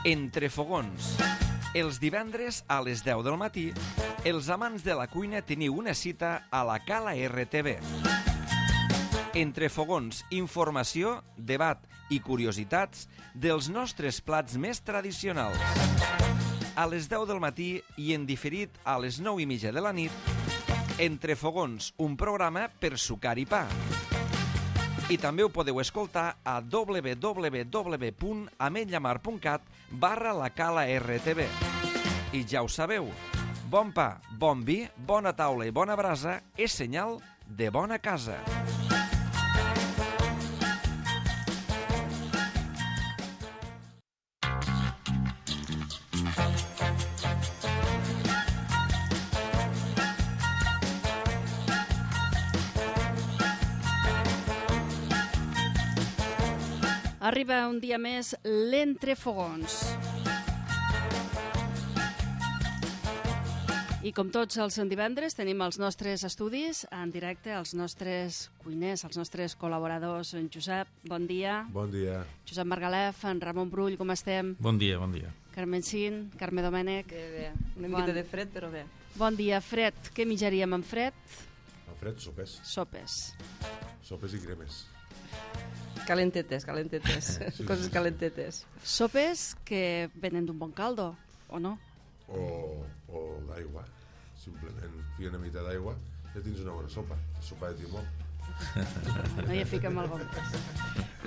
Entre fogons. Els divendres a les 10 del matí, els amants de la cuina teniu una cita a la Cala RTV. Entre fogons, informació, debat i curiositats dels nostres plats més tradicionals. A les 10 del matí i en diferit a les 9:30 de la nit, Entre fogons, un programa per sucar i pa. I també ho podeu escoltar a www.ametlllamar.cat/la Cala RTV. I ja ho sabeu, bon pa, bon vi, bona taula i bona brasa és senyal de bona casa. Arriba un dia més l'Entrefogons. I com tots els divendres tenim els nostres estudis en directe, els nostres cuiners, els nostres col·laboradors. En Josep, bon dia. Bon dia. Josep Margalef, en Ramon Brull, com estem? Bon dia, bon dia. Carmen Cin, Carme Domènech. Bé. Una miqueta de fred, però bé. Bon dia, fred. Què menjaríem en fred? En fred, sopes. Sopes. Sopes i cremes. Calentetes. Sí. Coses calentetes. Sopes que venen d'un bon caldo, o no? O d'aigua. Simplement fica una mica d'aigua i ja tens una bona sopa. Sopa de timó. No hi fiquem el bon.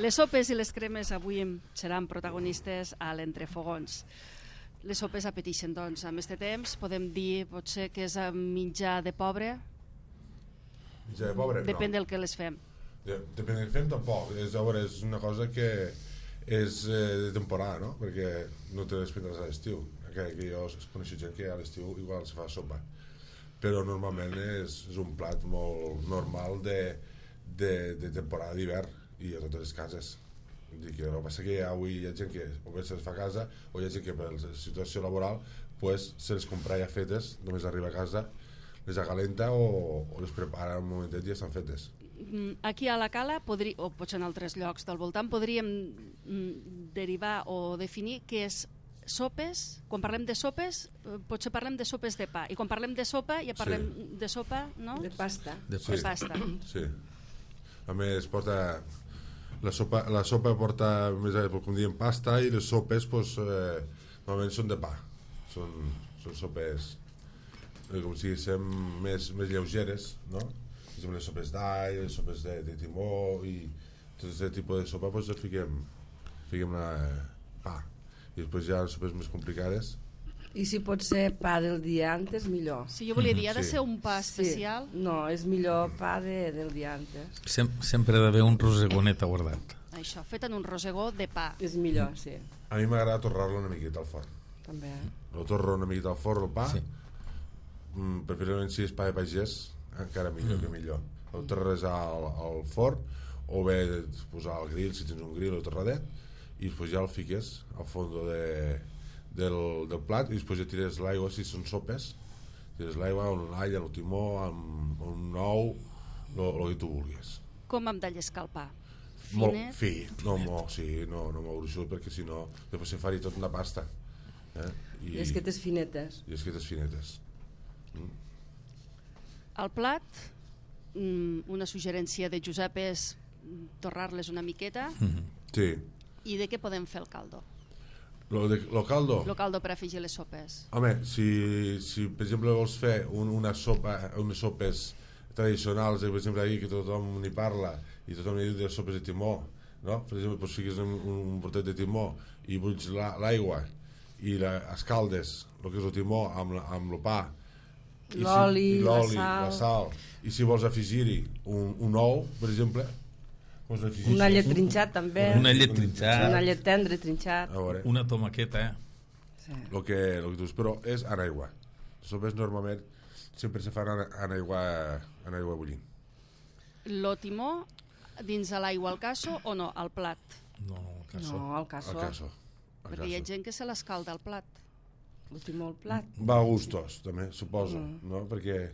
Les sopes i les cremes avui seran protagonistes a l'Entrefogons. Les sopes apeteixen, doncs. Amb este temps podem dir, potser, que és menjar de pobre? Menjar de pobre? Depèn no. del que les fem. Depèn del que fem, tampoc. És una cosa que és de temporada, no? Perquè no te les prendràs a l'estiu. Que jo coneixo gent que a l'estiu igual se fa sopa. Però normalment és un plat molt normal de temporada d'hivern i a totes les cases. El que passa que avui hi ha gent que o bé se les fa a casa o hi ha gent que per la situació laboral pues, se les compra ja fetes, només arriba a casa, les acalenta o les prepara en un momentet i ja estan fetes. Aquí a la Cala, o potser en altres llocs del voltant, podríem derivar o definir què és sopes. Quan parlem de sopes, potser parlem de sopes de pa. I quan parlem de sopa, ja parlem de sopa, no? De pasta. De pasta. Sí. A més, la sopa porta, com diem, pasta i les sopes, pues, normalment són de pa. Són sopes, com si diguéssim, més lleugeres, no? Les sopes d'all, les sopes de timó i tot aquest tipus de sopa, pues, fiquem pa. I després hi ha sopes més complicades. I si pot ser pa del dia antes, millor. Sí, jo volia dir, ha de ser un pa especial? Sí. No, és millor pa del dia antes. Sempre ha d'haver un rosegonet guardat. Això, fet en un rosegó de pa. És millor, sí. A mi m'agrada torrar-lo una miqueta al forn. També. Lo torro una miqueta al forn, el pa. Sí. Preferiblement si és pa de pagès, encara millor que millor. Ho torres al forn o bé posar al grill, si tens un grill o torradet, i després ja el fiques al fons del plat i després ja tires l'aigua si són sopes, tires l'aigua amb l'all, amb el timó, amb un ou, el que tu vulguis. Com hem de llescar el pa? Molt fi, no molt gruixut, perquè si no després se faria tot una pasta. I esquetes finetes. El plat, una suggerència de Josep és torrar-les una miqueta. Sí. I de què podem fer el caldo? Lo caldo? El caldo per afegir les sopes. Home, si per exemple vols fer unes sopes tradicionals, per exemple aquí que tothom n'hi parla i tothom n'hi diu de sopes de timó, no? Per exemple, doncs fiques un portet de timó i bulls l'aigua i escaldes el que és el timó amb el pa, l'oli, la sal, i si vols afegir-hi un ou, per exemple, un allet trinxat també, un allet tendre trinxat, una tomaqueta, sí. El que tu dius, però és en aigua. Les sopes normalment sempre se fan en aigua bullint. Lo timó dins de l'aigua al casso o no, al plat? No, al casso. Perquè hi ha gent que se l'escalda al plat. El timó al plat. Va a gustos, també, suposo, no? Perquè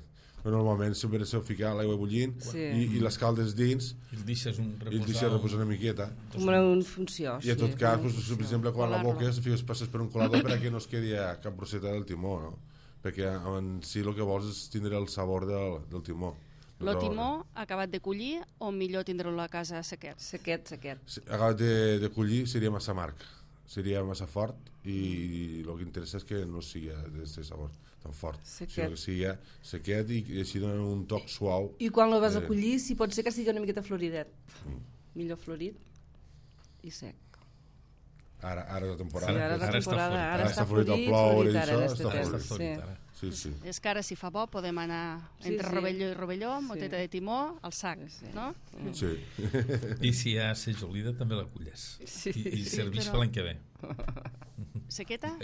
Normalment sempre s'ha ficat l'aigua bullint i les caldes dins i el deixes reposar una miqueta. Com una funció. I en tot cas, per exemple, quan la boques passes per un colador perquè no es quedi cap brosseta del timó, no? Perquè en si el que vols és tindre el sabor del timó. El timó acabat de collir o millor tindre-lo a casa sequet? Sequet. Acabat de collir seria massa amarg, seria massa fort i el que interessa és que no sigui d'aquest sabor tan fort, sinó que sigui sequet i així dona un toc suau. I quan el vas a collir, si pot ser que sigui una miqueta floridet, millor florit i sec. Ara és la temporada. Sí, ara està florit el plou i això, està florit ara. Sí. És que ara, si fa bo, podem anar entre Rovelló i Rovelló, moteta de timó, al sac, no? Sí. I si hi ha sejolida també la culles. I serveix per l'any que ve. Sequeta?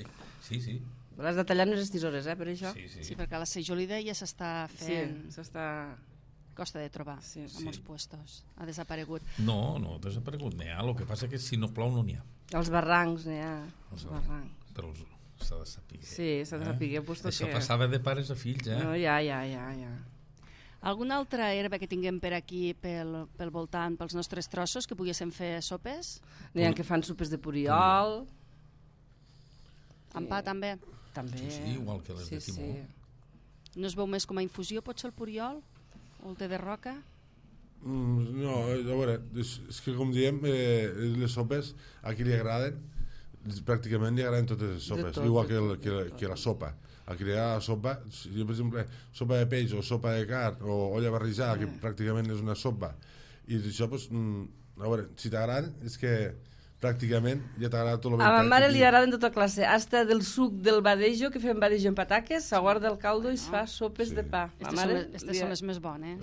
Sí. L'has de tallar en unes tisores, per això? Sí, perquè la sejolida ja s'està fent. Sí, s'està... Costa de trobar a molts puestos. Ha desaparegut. No ha desaparegut. N'hi ha. El que passa que si no plou no n'hi ha. Els barrancs n'hi ha. Els barrancs. Però s'ha de saber. Sí, s'ha de saber. Això passava de pares a fills, No, ja. Alguna altra herba que tinguem per aquí, pel voltant, pels nostres trossos, que poguéssim fer sopes? N'hi ha que fan sopes de puriol. Amb pa, també? També. Sí, igual que les de timó. No es veu més com a infusió, potser el puriol? O el té de roca? No, a veure, és que com diem, les sopes a qui li agraden, pràcticament li agraden totes les sopes, igual que la sopa. A qui li agrada la sopa, jo per exemple, sopa de peix o sopa de carn o olla barrejada, que pràcticament és una sopa, i això, doncs, a veure, si t'agraden, és que pràcticament ja t'agrada tot el A ma mare li agraden tota classe, hasta del suc del badejo, que fem badejo en pataques, s'aguarda el caldo i es fa sopes de pa. Aquestes són les més bones.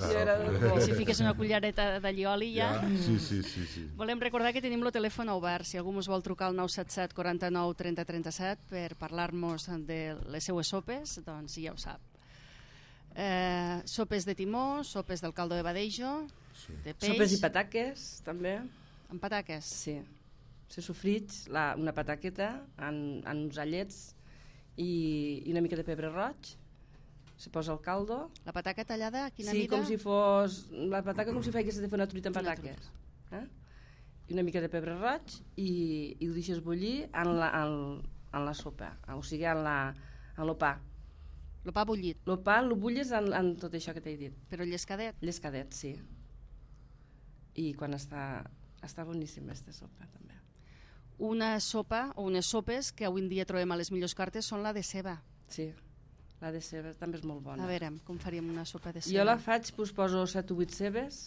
Si fiques una cullereta d'allioli ja... Sí. Volem recordar que tenim el telèfon obert, si algú ens vol trucar al 977 49 30 37 per parlar-nos de les seues sopes, doncs ja ho sap. Sopes de timó, sopes del caldo de badejo, de peix... Sopes i pataques, també. Amb pataques? Sí. Se sofrits una pataqueta en uns allets i una mica de pebre roig, se posa el caldo. La pataca tallada, a quina mida? Sí, com si fos... La pataca com si faigués de fer una truita amb pataques. I una mica de pebre roig i ho deixes bullir en la sopa, o sigui, en el pa. El pa bullit? El pa el bulles en tot això que t'he dit. Però llescadet? Llescadet, sí. I quan està boníssima aquesta sopa, també. Una sopa o unes sopes que avui en dia trobem a les millors cartes són la de ceba. Sí, la de ceba també és molt bona. A veure, com faríem una sopa de ceba? Jo la faig, poso 7 o 8 cebes.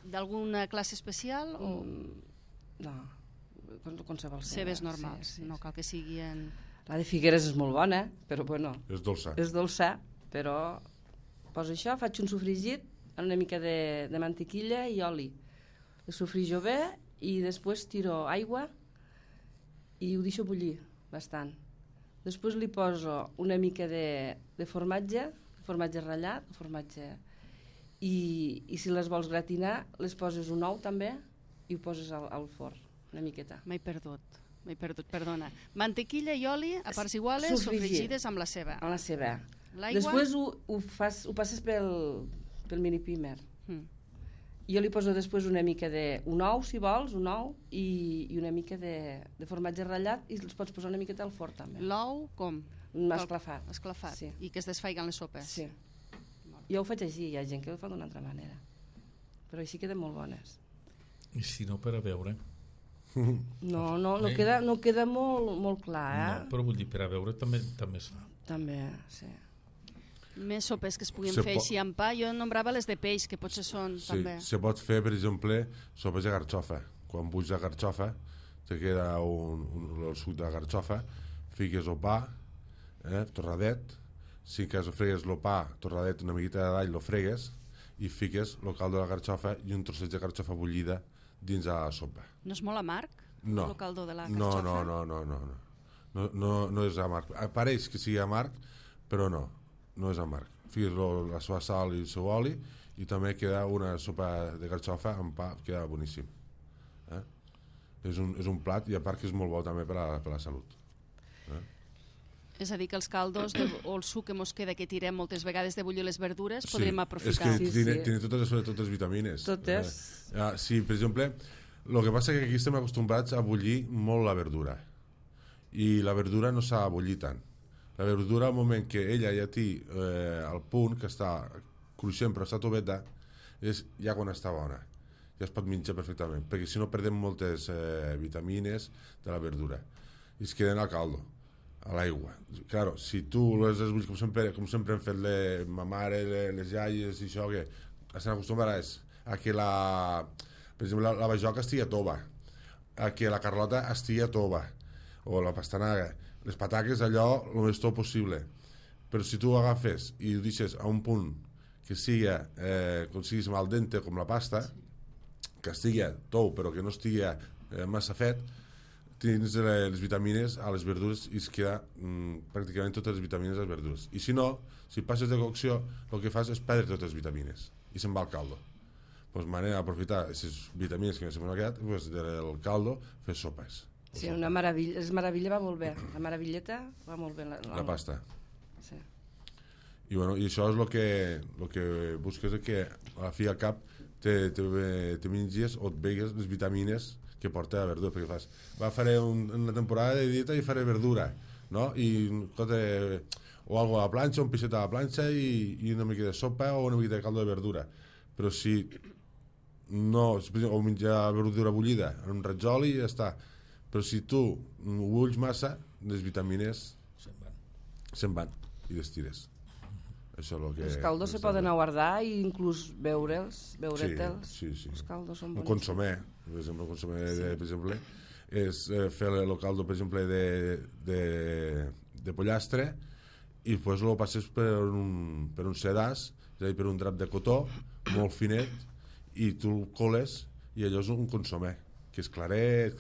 D'alguna classe especial? No, qualsevol ceba. Cebes normals, no cal que siguin... La de Figueres és molt bona, però bueno... És dolça. És dolça, però poso això, faig un sofregit amb una mica de mantequilla i oli. El sofrijo bé i després tiro aigua i ho deixo bullir bastant. Després li poso una mica de formatge ratllat, i si les vols gratinar, les poses un ou també i ho poses al forn, una miqueta. M'he perdut, perdona. Mantequilla i oli a parts iguales, sofregides amb la ceba. Amb la ceba. L'aigua? Després ho passes pel mini primer. Jo li poso després una mica un ou, si vols, un ou, i una mica de formatge ratllat, i els pots posar una miqueta al forn també. L'ou com? Esclafat. Esclafat, sí. I que es desfaiguen les sopes. Sí. Jo ho faig així, hi ha gent que ho fa d'una altra manera. Però així queden molt bones. I si no, per a veure? No queda molt clar, No, però vull dir, per a veure també es fa. També, sí. Més sopes que es puguin fer així amb pa. Jo nombrava les de peix, que potser són també. Sí, se pot fer, per exemple, sopes de garxofa. Quan buix la garxofa, te queda el suc de la garxofa, fiques el pa, torradet, si que fregues el pa, torradet, una miqueta d'all, lo fregues, i fiques el caldo de la garxofa i un trosset de garxofa bullida dins de la sopa. No és molt amarg? No. El caldo de la garxofa? No és amarg. Pareix que sigui amarg, però no és amarg. Fiques la seva sal i el seu oli i també queda una sopa de garxofa amb pa, queda boníssim. És un plat i a part que és molt bo també per a la salut. És a dir, que els caldos o el suc que mos queda, que tirem moltes vegades de bullir les verdures, podríem És aprofitar. que tiene totes les vitamines. Totes. Sí, per exemple, el que passa és que aquí estem acostumbrats a bullir molt la verdura. I la verdura no s'ha de bullir tant. La verdura, al moment que ella ja té al punt, que està cruixent però està toveta, és ja quan està bona. Ja es pot menjar perfectament, perquè si no perdem moltes vitamines de la verdura. I es queden al caldo, a l'aigua. Claro, si tu les bullis, com sempre hem fet ma mare, les iaies i això, que estan acostumbrades a que per exemple, la bajoca estigui a tova, a que la carlota estigui a tova, o la pastanaga, les pataques allò el més tot possible. Però si tu ho agafes i ho deixes a un punt que sigui com siguis al dente com la pasta, que estigui tou però que no estigui massa fet, tens les vitamines a les verdures i es queda pràcticament totes les vitamines a les verdures. I si no, si passes de cocció, el que fas és perdre totes les vitamines i se'n va al caldo. Doncs manera d'aprofitar aquestes vitamines que m'han quedat, doncs del caldo fer sopes. Sí, una meravella. És meravella, va molt bé. La meravilleta va molt bé. La pasta. Sí. I això és el que busques, que a la fi al cap te menges o et vegues les vitamines que porta la verdura, perquè fas, faré una temporada de dieta i faré verdura, no? O algo a la planxa, un peixet a la planxa i una mica de sopa o una mica de caldo de verdura. Però si no, o menjar verdura bullida en un ratzol i ja està. Però si tu ho bulls massa, les vitamines se'n van i les tires. Això és el que... Els caldos se poden guardar i inclús veure'ls. Sí. Els caldos són un bons. consomé, per exemple, per exemple, és fer el caldo, per exemple, de pollastre i després el passes per un sedàs, és a dir, per un drap de cotó molt finet i tu el coles i allò és un consomé, que és claret.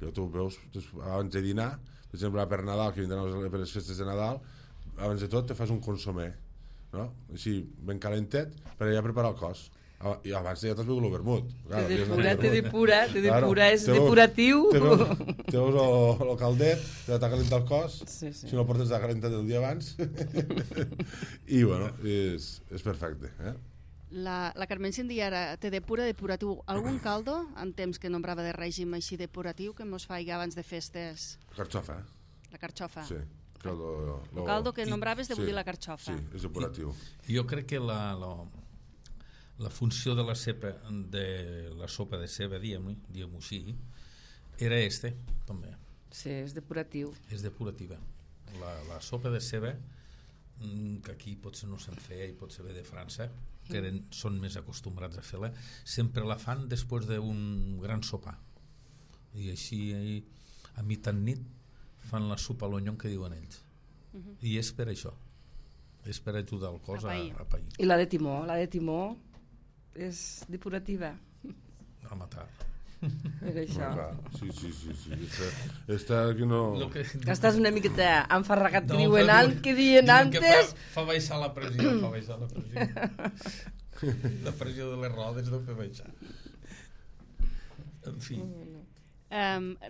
I tu veus abans de dinar, per exemple, per Nadal, que vindran per les festes de Nadal, abans de tot te fas un consomé, no? Així ben calentet per allà preparar el cos. I abans ja t'has begut el vermut. Té depura, és depuratiu. Te veus el caldet, t'ha calentat el cos, sí. Si no el portes calentat el dia abans. I bueno, és perfecte. La Carmen Cindy ara té depuratiu. Algun caldo, en temps que nombrava de règim així depuratiu, que mos faig abans de festes? La carxofa. La carxofa. Sí. El caldo que nombraves de bullir la carxofa. Sí, és depuratiu. Jo crec que la funció de la sopa de ceba, diguem-ho així, era també. Sí, és depuratiu. És depurativa. La sopa de ceba, que aquí potser no se'n feia i potser ve de França, que són més acostumbrats a fer-la, sempre la fan després d'un gran sopar. I així a mitjanit fan la sopa a l'onyon que diuen ells. I és per això. És per ajudar el cos a pair. I la de timó és depurativa. A matar. Per això. Sí. Està que no... Estàs una miqueta enfarragat que diuen antes... Fa baixar la pressió, La pressió de les rodes no fa baixar. En fi...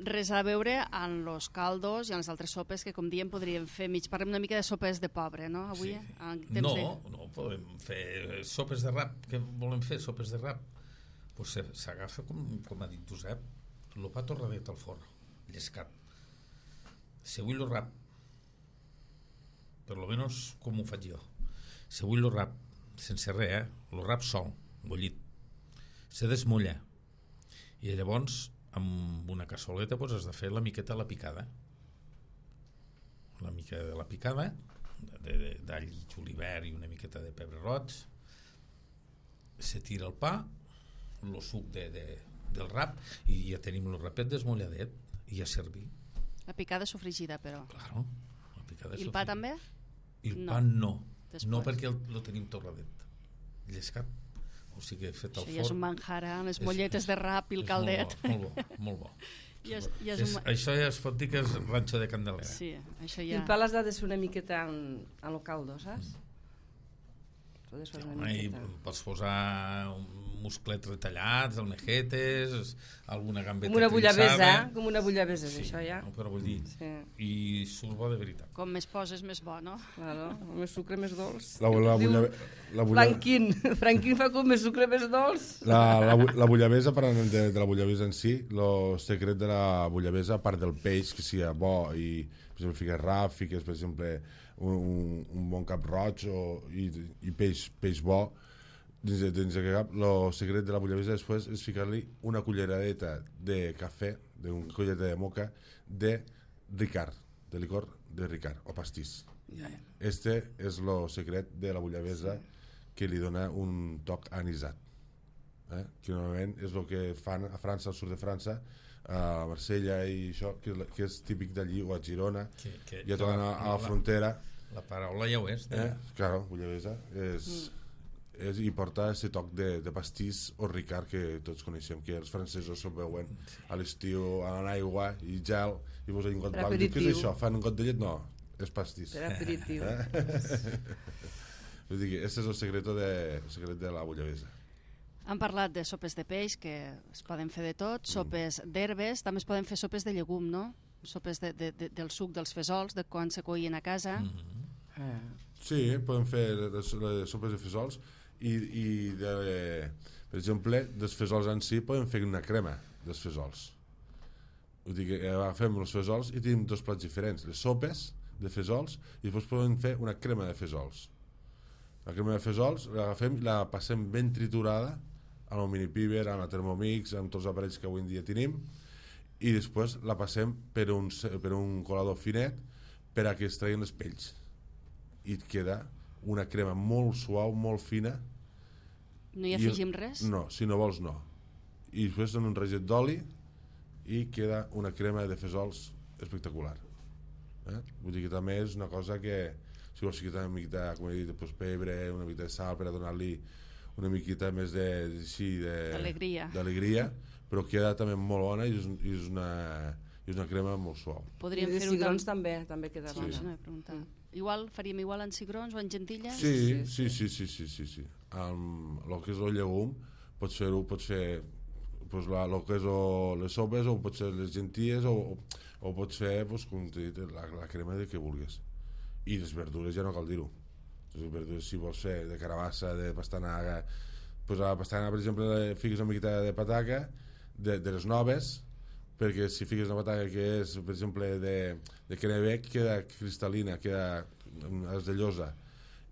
res a veure en los caldos i en les altres sopes que, com diem, podríem fer parlem una mica de sopes de pobre, no? Avui, sí. No, podem fer sopes de rap. Què volem fer, sopes de rap? Pues s'agafa, com ha dit Josep, el pa torradet al forn, llescat. Si vull el rap, per lo menos com ho faig jo, si vull el rap sense res, el rap sol, bullit, se desmulla i llavors amb una cassoleta pues, has de fer la miqueta de la picada, d'all i julivert i una miqueta de pebre roig, se tira el pa, el suc del rap i ja tenim el rapet desmulladet i ja servir. La picada sofregida, però. Claro, la picada I el pa també? I el pa no. No perquè el tenim torradet, llescat. O sigui, fet al forn. Això ja és un manjar, les molletes de rap i el caldet. Molt bo. Això ja es pot dir que és ranxo de Candelera. Sí, això I ja... el pa l'has de fer una miqueta en el caldo, saps? Podes fer una I miqueta. pots posar musclets retallats, almejetes, alguna gambeta Com una bullabesa, trinxada. com una bullabesa, és Sí, això ja. no, però vull dir, Sí, i surt bo de veritat. Com més poses, més bo, no? claro, més sucre, més dolç. La Franquín, Franquín fa com més sucre, més dolç. La bullabesa, parlant de la bullabesa en si, el secret de la bullabesa, a part del peix, que sigui bo i, per exemple, fiques rap, fiques, per exemple, un bon cap roig i peix bo, dins de cap, el secret de la bullabesa després és ficar-li una culleradeta de cafè, una cullereta de moca, de Ricard, de licor de Ricard, o pastís. Este és el secret de la bullabesa que li dona un toc anisat. Que normalment és el que fan a França, al sud de França, a Marsella i això, que és típic d'allí, o a Girona, ja tornen a la frontera. La paraula ja ho és. Claro, bullabesa i porta aquest toc de pastís o Ricard que tots coneixem, que els francesos se'l veuen a l'estiu en aigua i gel i posen un got blanc. Què és això? Fan un got de llet? No, és pastís. Per aperitiu. Vull dir que aquest és el secret de la bullabesa. Han parlat de sopes de peix, que es poden fer de tot, sopes d'herbes, també es poden fer sopes de llegum, no? Sopes del suc dels fesols, de quan se coïen a casa. Sí, podem fer les sopes de fesols i per exemple, dels fesols en si podem fer una crema dels fesols. Vull dir que agafem els fesols i tenim dos plats diferents, les sopes de fesols i després podem fer una crema de fesols. La crema de fesols l'agafem i la passem ben triturada amb el mini-piber, amb la Thermomix, amb tots els aparells que avui en dia tenim, i després la passem per un colador finet per a que es treguin les pells i et queda una crema molt suau, molt fina. No hi afegim res? No, si no vols no. I després en un raget d'oli i queda una crema de fesols espectacular. Vull dir que també és una cosa que si vols ficar una miqueta, com he dit, pebre, una miqueta de sal per a donar-li una miqueta més d'alegria, però queda també molt bona i és una crema molt suau. Podríem I de fer-ho cigrons també queda bona. Sí, no he preguntat. Igual, faríem igual en cigrons o en gentilles? Sí. El que és el llegum pots fer el que és les sopes o pots fer les gentilles o pots fer com t'he dit, la crema de que vulguis. I les verdures ja no cal dir-ho. Les verdures si vols fer de carabassa, de pastanaga, a la pastanaga per exemple fiques una miqueta de pataca de les noves, perquè si fiques una pataca que és per exemple de Kennebec queda cristal·lina, queda esdellosa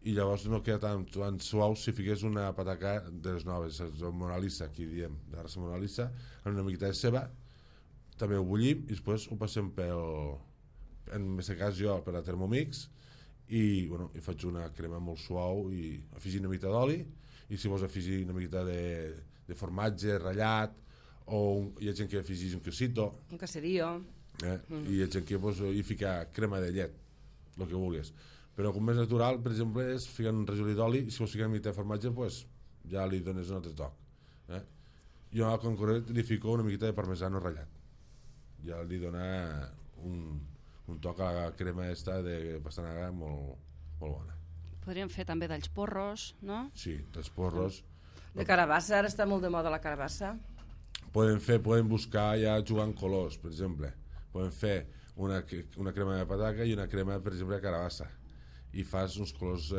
i llavors no queda tan suau si fiques una pataca de les noves, la Mona Lisa, aquí diem, de raça Mona Lisa, amb una miqueta de ceba, també ho bullim i després ho passem en aquest cas jo per la Thermomix i faig una crema molt suau i afegir una miqueta d'oli i si vols afegir una miqueta de formatge ratllat o hi ha gent que afegeix un quesito, un caserío, i hi ha gent que hi fica crema de llet, el que vulguis, però com més natural per exemple és ficar un rajolí d'oli i si vols ficar una miqueta de formatge ja li dones un altre toc. Jo al concret li fico una miqueta de parmesano ratllat, ja li dona un toc a la crema de pastanaga molt bona. Podríem fer també d'alls porros, no? Sí, dels porros. de carabassa, ara està molt de moda la carabassa. Poden buscar ja jugant colors, per exemple. Poden fer una crema de pataca i una crema, per exemple, de carabassa. I fas uns colors...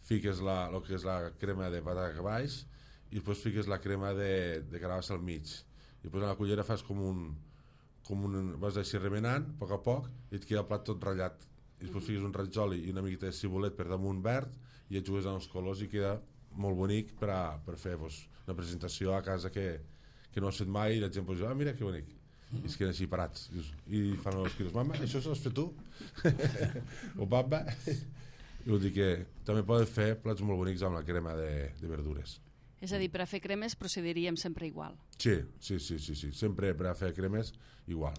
fiques el que és la crema de pataca baix i després fiques la crema de carabassa al mig. I després a la cullera fas vas així remenant a poc i et queda el plat tot ratllat. I després fiques un raig d'oli i una miqueta de cibulet per damunt verd i et jugues amb els colors i queda molt bonic per fer una presentació a casa que no has fet mai i la gent diu, mira que bonic, i es queden així parats i fan els quilos, mama, això s'ho has fet tu? O papa? I vull dir que també poden fer plats molt bonics amb la crema de verdures. És a dir, per a fer cremes procediríem sempre igual. Sí, sempre per a fer cremes igual.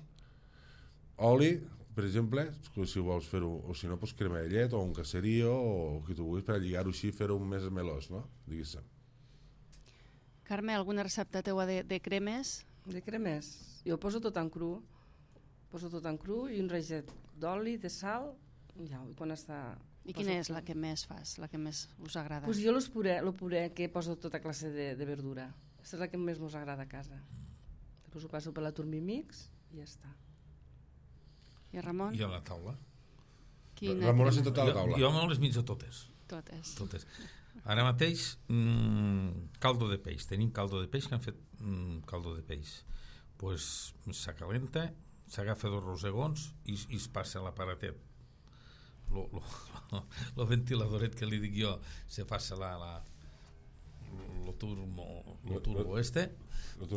Oli, per exemple, si vols fer-ho, o si no, doncs crema de llet o un caserío o el que tu vulguis per a lligar-ho així i fer-ho més melós, no? Diguéssim. Carme, alguna recepta teua de cremes? De cremes? Jo poso tot en cru. Poso tot en cru i un raget d'oli, de sal, i quan està I quina és la que més fas, la que més us agrada? Pues jo el puré que poso tota classe de verdura. Aquesta és la que més us agrada a casa. Després ho passo per la Turmimix i ja està. I Ramon? I a la taula. Ramon ha sentat a la taula. Jo me les menjo totes. Totes. Ara mateix, caldo de peix. Tenim caldo de peix, que han fet caldo de peix. Pues s'acalenta, s'agafa 2 rosegons i es passa a l'aparatet. Lo ventiladoret que li dic jo, se passa lo turbo este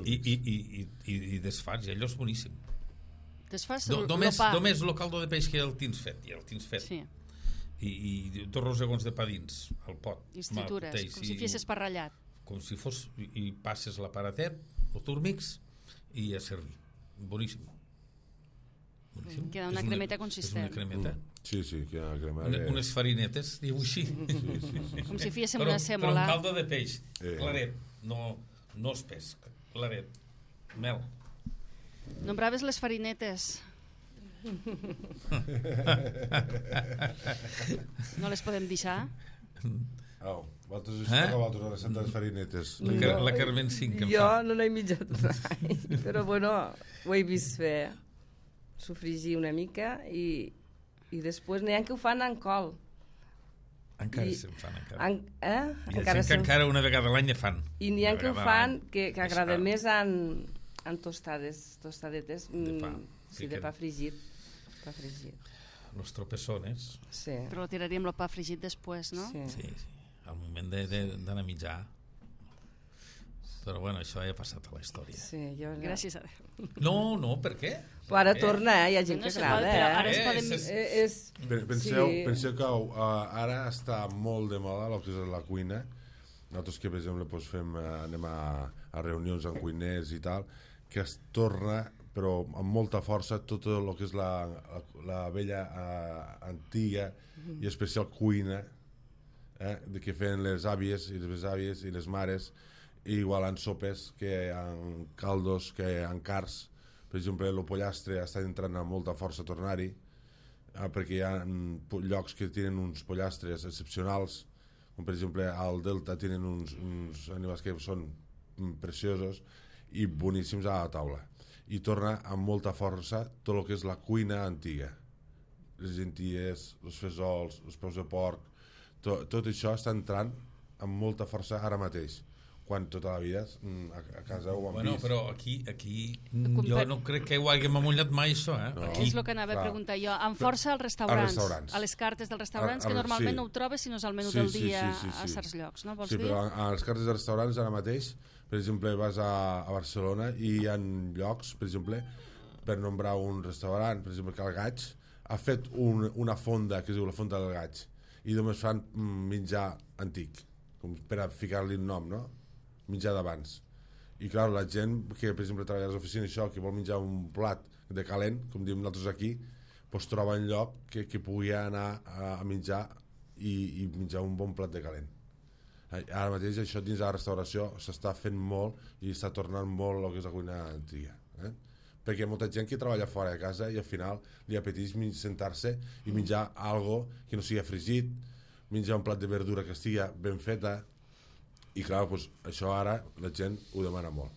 i desfats, i allò és boníssim. Desfas Només el caldo de peix que el tens fet, sí. I 2 rosegons de pa dins al pot, i es tritures, com si fessis per ratllat, com si fos, i passes l'aparatet, el turmix, i a servir. Boníssim. Queda una cremeta consistent. És una cremeta. Sí, queda una cremeta. Unes farinetes, diu així. Com si féssim una sèmola. Però un caldo de peix, claret, no espès, claret, mel. Nombraves les farinetes. No les podem deixar? Vosaltres vosaltres a les Santes Farinetes. La Carmen 5 que em jo fa. no n'he mitjat mai, però bueno, ho he vist fer, sofregir una mica i després n'hi ha que ho fan en col. Encara se'n fan, encara. Encara que encara una vegada a l'any ne fan. I n'hi ha que ho fan que agrada més en tostadetes de pa fregit. Los tropezones. Sí. Però tiraríem el pa fregit després, no? Sí. Al moment d'anar a mitjar. Però bueno, això ja ha passat a la història. Sí, gràcies a Déu. No, per què? Però ara torna, hi ha gent que agrada. Ara es poden... Penseu que ara està molt de moda el que és la cuina. Nosaltres que, per exemple, anem a reunions amb cuiners i tal, que es torna, però amb molta força, tot el que és la vella antiga i especial cuina que feien les àvies i les besàvies i les mares, i igual en sopes, que en caldos, que en cars. Per exemple, el pollastre està entrant amb molta força a tornar-hi, perquè hi ha llocs que tenen uns pollastres excepcionals, com per exemple al Delta tenen uns animals que són preciosos i boníssims a la taula, i torna amb molta força tot el que és la cuina antiga, les lenties, els fesols, els peus de porc, tot això està entrant amb molta força ara mateix, quan tota la vida a casa ho hem vist. Però aquí jo no crec que ho haguem amollat mai, això. No. És el que anava a preguntar jo. Amb força als restaurants, a les cartes dels restaurants, que normalment no ho trobes sinó és al menú del dia a certs llocs, no? Vols dir? Sí, però a les cartes dels restaurants ara mateix, per exemple, vas a Barcelona i hi ha llocs, per exemple, per nombrar un restaurant, per exemple, que el Gaig ha fet una fonda que es diu la Fonda del Gaig, i només fan menjar antic, com per a ficar-li un nom, no? Menjar d'abans. I clar, la gent que, per exemple, treballa a les oficines, això, que vol menjar un plat de calent, com diem nosaltres aquí, doncs troba un lloc que pugui anar a menjar i menjar un bon plat de calent. Ara mateix això dins de la restauració s'està fent molt i està tornant molt el que és la cuina antiga. Perquè hi ha molta gent que treballa fora de casa i al final li apeteix sentar-se i menjar algo que no sigui fregit, menjar un plat de verdura que estigui ben feta, i clar, doncs, això ara la gent ho demana molt.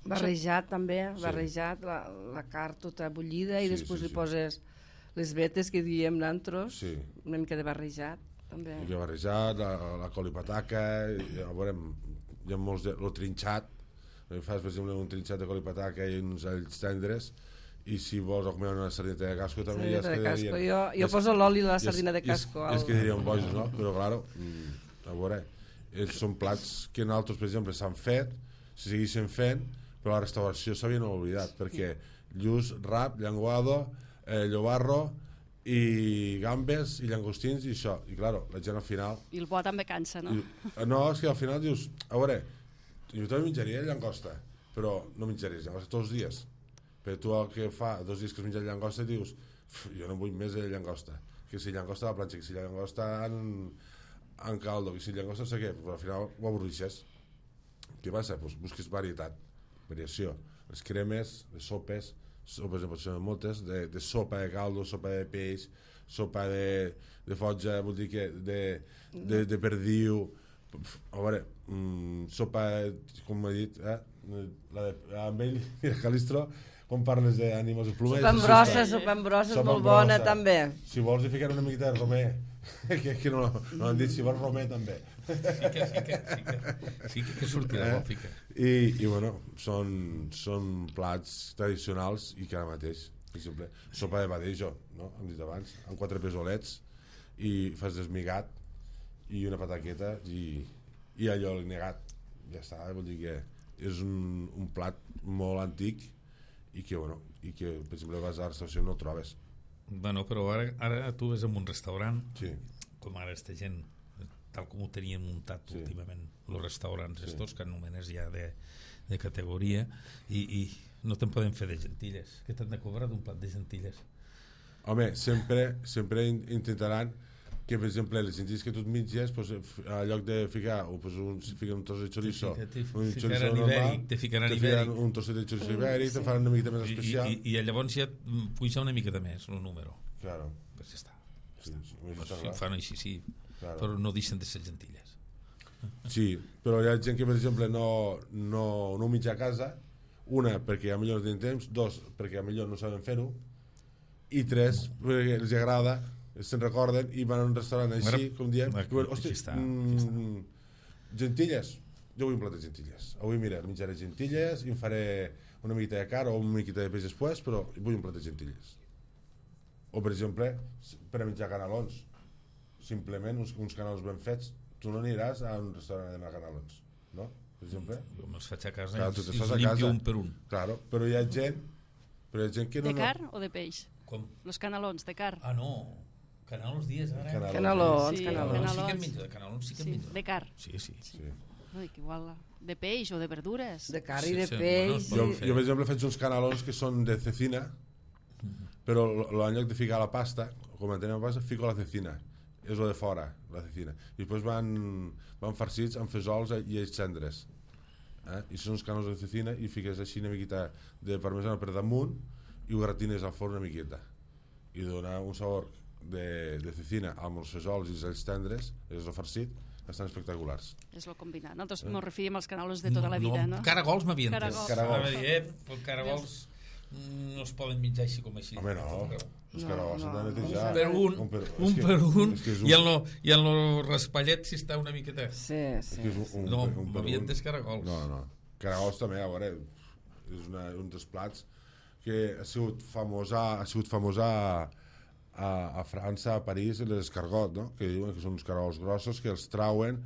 Barrejat també, barrejat, la carn tota bullida i després li poses les vetes que diem nantros, una mica de barrejat també. I barrejat, la col i pataca, ja veurem, hi ha molts, el trinxat, fas per exemple un trinxat de col i pataca i uns alls tendres, i si vols comer una sardineta de casco també ja es quedarien... Jo poso l'oli a la sardina de casco. Es quedarien bojos, no? Però claro, a veure, són plats que nosaltres, per exemple, s'han fet, se segueixen fent, però la restauració s'havien oblidat, perquè lluç, rap, llenguado, llobarro i gambes i llangostins i això, i claro, la gent al final... I el bo també cansa, no? No, és que al final dius, a veure, jo també menjaria llangosta, però no menjaries llangosta tots els dies, però tu el que fa 2 dies que has menjat llangosta dius, jo no vull més de llangosta, que si llangosta a la planxa, que si llangosta en caldo, que si llangosta no sé què, però al final ho avorreixes. Què passa? Pues busques varietat, variació. Les cremes, les sopes, sopes en pot fer moltes, de sopa de caldo, sopa de peix, sopa de fotja, vol dir que de perdiu, a veure, sopa, com he dit, amb ell i el Calistro, quan parles d'ànimes de plomers... Sopa amb brossa, molt bona també. Si vols hi ficar una miqueta de romer, que no l'han dit, si vols romer també. Fica que sortirà bo, fica. I bueno, són plats tradicionals i que ara mateix, per exemple, sopa de badejo, no? Hem dit abans, amb 4 pesolets i fas desmigat i una pataqueta i allò negat, ja està, vol dir que és un plat molt antic i que, bueno, per exemple vas a la restauració no el trobes. Bueno, però ara tu ves en un restaurant, Sí. com ara aquesta gent, tal com ho tenien muntat últimament, els restaurants estos que anomenes ja de categoria, i no te'n poden fer de gentilles. Què t'han de cobrar d'un plat de gentilles? Home, sempre intentaran que, per exemple, les gentilles que tu et mitges, pues, a lloc de ficar fiquen un tros de chorizo, un chorizo normal, te ficaran te ibèric, un trosset de chorizo ibèric, te faran una miqueta més especial. i llavors ja puja una miqueta més el número. Claro. Pues ja està. Sí, Si ho fan així, sí, Claro. però no deixen de ser gentilles. Sí, però hi ha gent que, per exemple, no ho mitja a casa, una, perquè a millor no tenen temps, dos, perquè a millor no saben fer-ho, i tres, perquè els agrada, se'n recorden i van a un restaurant així, com diem, hosti, gentilles, jo vull un plat de gentilles, avui mira, menjaré gentilles i em faré una miqueta de carn o una miqueta de peix després, però vull un plat de gentilles. O, per exemple, per a menjar canelons, simplement uns canelons ben fets, tu no aniràs a un restaurant a demanar canelons, no? Per exemple. Jo me'ls faig a casa Clar, i tu te'ls els fas a limpio casa. un per un. Claro, però hi ha gent que no... De carn o de peix? Com? Los canelons, de carn. Ah, no. Canelons dies, ara. Canelons, Sí, canelons. Sí que en menjo, de canelons sí que en Sí, menjo. de carn. Sí. Sí. Ui, que igual de peix o de verdures. De carn i de Sí, peix. bueno, Jo, per exemple, faig uns canelons que són de cecina, però en lloc de ficar la pasta, com entenem la pasta, fico la cecina. És lo de fora, la cecina. I després van farcits amb fesols i ells cendres. I són uns canelons de cecina i fiques així una miqueta de parmesana per damunt i ho gratines al forn una miqueta. I dona un sabor de cecina amb els fesols i els tendres, és el farcit, estan espectaculars. És lo combinat. Nosaltres ens referim als canelons de tota la vida, no? Caragols m'havien entès. Caragols. Caragols no es poden menjar així com així. Home, no. Els caragols s'han de netejar. Un per un, i en el raspallet si està una miqueta. Sí. No, m'havia entès caragols. No. Caragols també, a veure, és un dels plats que ha sigut famós a França, a París, l'escargot, no? Que diuen que són uns caragols grossos que els trauen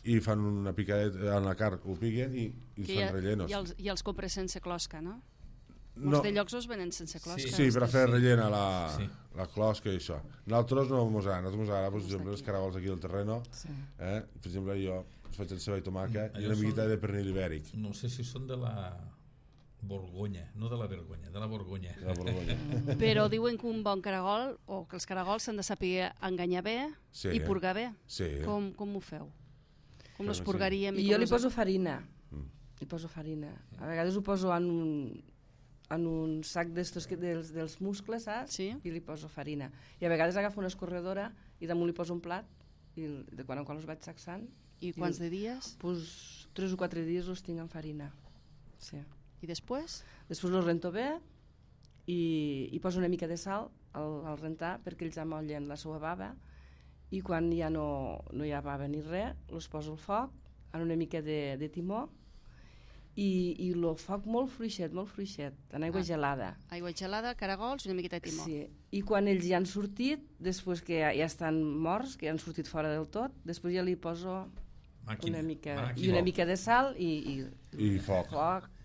i fan una picadeta en la carn, ho piquen i els fan rellenos. I els compres sense closca, no? Molts de llocs els venen sense closca. Sí, per a fer rellena la closca i això. Nosaltres no mos agrada, per exemple, els caragols aquí del terreno, per exemple, jo faig el ceba i tomaca i una miqueta de pernil ibèric. No sé si són de la Borgonya, no de la Vergonya, de la Borgonya. Però diuen que un bon caragol, o que els caragols s'han de saber enganyar bé i purgar bé. Sí. Com ho feu? Com els purgaríem? I jo li poso farina. A vegades ho poso en un sac d'estos dels muscles, saps? Sí. I li poso farina. I a vegades agafo una escorredora i damunt li poso un plat i de quan en quan els vaig sacsant. I quants de dies? Pues 3 o 4 dies els tinc en farina. Sí. I després? Després els rento bé i poso una mica de sal al rentar perquè ells amollen la seva bava i quan ja no hi ha bava ni res, els poso al foc amb una mica de timó i el foc molt fluixet, en aigua gelada. Aigua gelada, caragols i una miqueta de timó. Sí. I quan ells ja han sortit, després que ja estan morts, que ja han sortit fora del tot, després ja li poso una mica de sal i foc.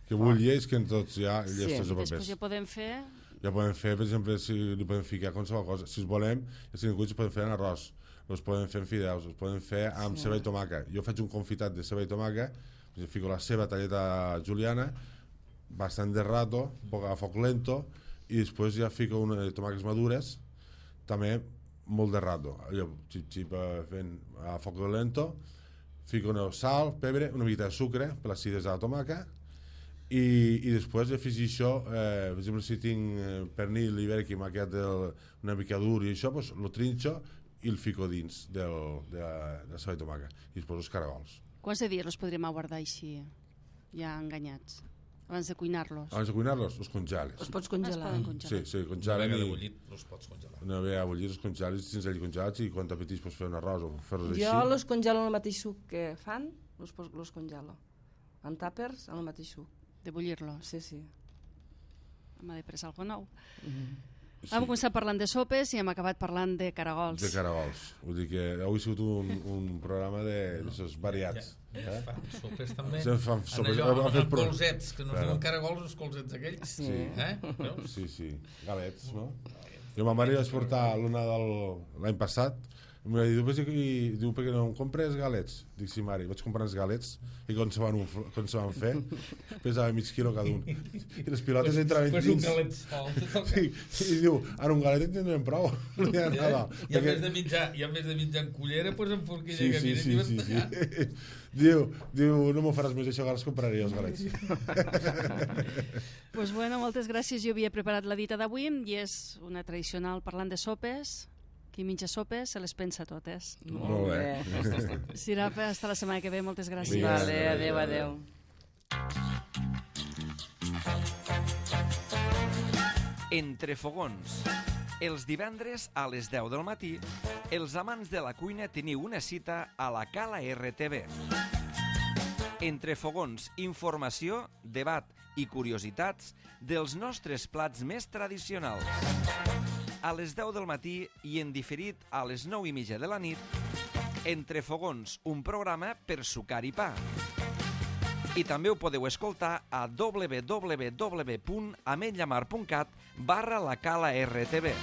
Que bulleix, que en tots ja... Després ja podem fer... Ja podem fer, per exemple, si li podem ficar qualsevol cosa. Si es volem, els cuits es poden fer en arròs, els poden fer en fideus, els poden fer amb ceba i tomaca. Jo faig un confitat de ceba i tomaca, fico la ceba talleta juliana, bastant de rato, a foc lento, i després ja fico tomaques madures, també molt de rato. Allò, xip fent a foc lento, fico sal, pebre, una miqueta de sucre per les cides de la tomaca, i després afegir això, per exemple, si tinc pernil ibèric que m'ha quedat una mica dur i això, doncs lo trinxo i el fico dins de la ceba i tomaca i després els caragols. Quants de dies els podríem guardar així, ja enganyats, abans de cuinar-los? Abans de cuinar-los, els congeles. Els pots congelar. Sí, congelen. Una vegada bullit, els pots congelar. Una vegada bullit, els congeles, tens allà congelats i quan t'apetís pots fer un arròs o fer-los així. Jo els congelo en el mateix suc que fan, els congelo. En tàpers, en el mateix suc. De bullir-los? Sí. M'ha de pressa alguna nou. Hem començat parlant de sopes i hem acabat parlant de caragols. De caragols. Vull dir que avui ha sigut un programa d'aixòs variats. Ja fan sopes també. Fan sopes. Amb colzets, que no es diuen caragols, els colzets aquells. Sí. Sí. Galets, no? Jo ma mare vaig portar l'any passat i em va dir, diu, per què no em compres galets? Dic, sí, mare, vaig comprar els galets i quan se van fer pesava mig quilo cada un i les pilotes entraven dins. Pues un galet sol. I diu, ara un galet en tindrem prou. I a més de menjar en cullera, pues en forquilla que mira i sí. Diu, no m'ho faràs més això, ara els compraré els galets. Pues bueno, moltes gràcies. Jo havia preparat la dita d'avui i és una tradicional parlant de sopes. Qui menja sopes se les pensa totes. Molt bé. Sirapa, hasta la setmana que ve. Moltes gràcies. Vale, adéu. Entre fogons. Els divendres a les 10 del matí, els amants de la cuina teniu una cita a la Cala RTV. Entre fogons, informació, debat i curiositats dels nostres plats més tradicionals. A les 10 del matí i en diferit a les 9:30 de la nit, Entre fogons, un programa per sucar i pa. I també ho podeu escoltar a www.ametlllamar.cat/la Cala RTV.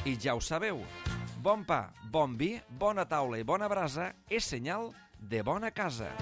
I ja ho sabeu, bon pa, bon vi, bona taula i bona brasa és senyal de bona casa.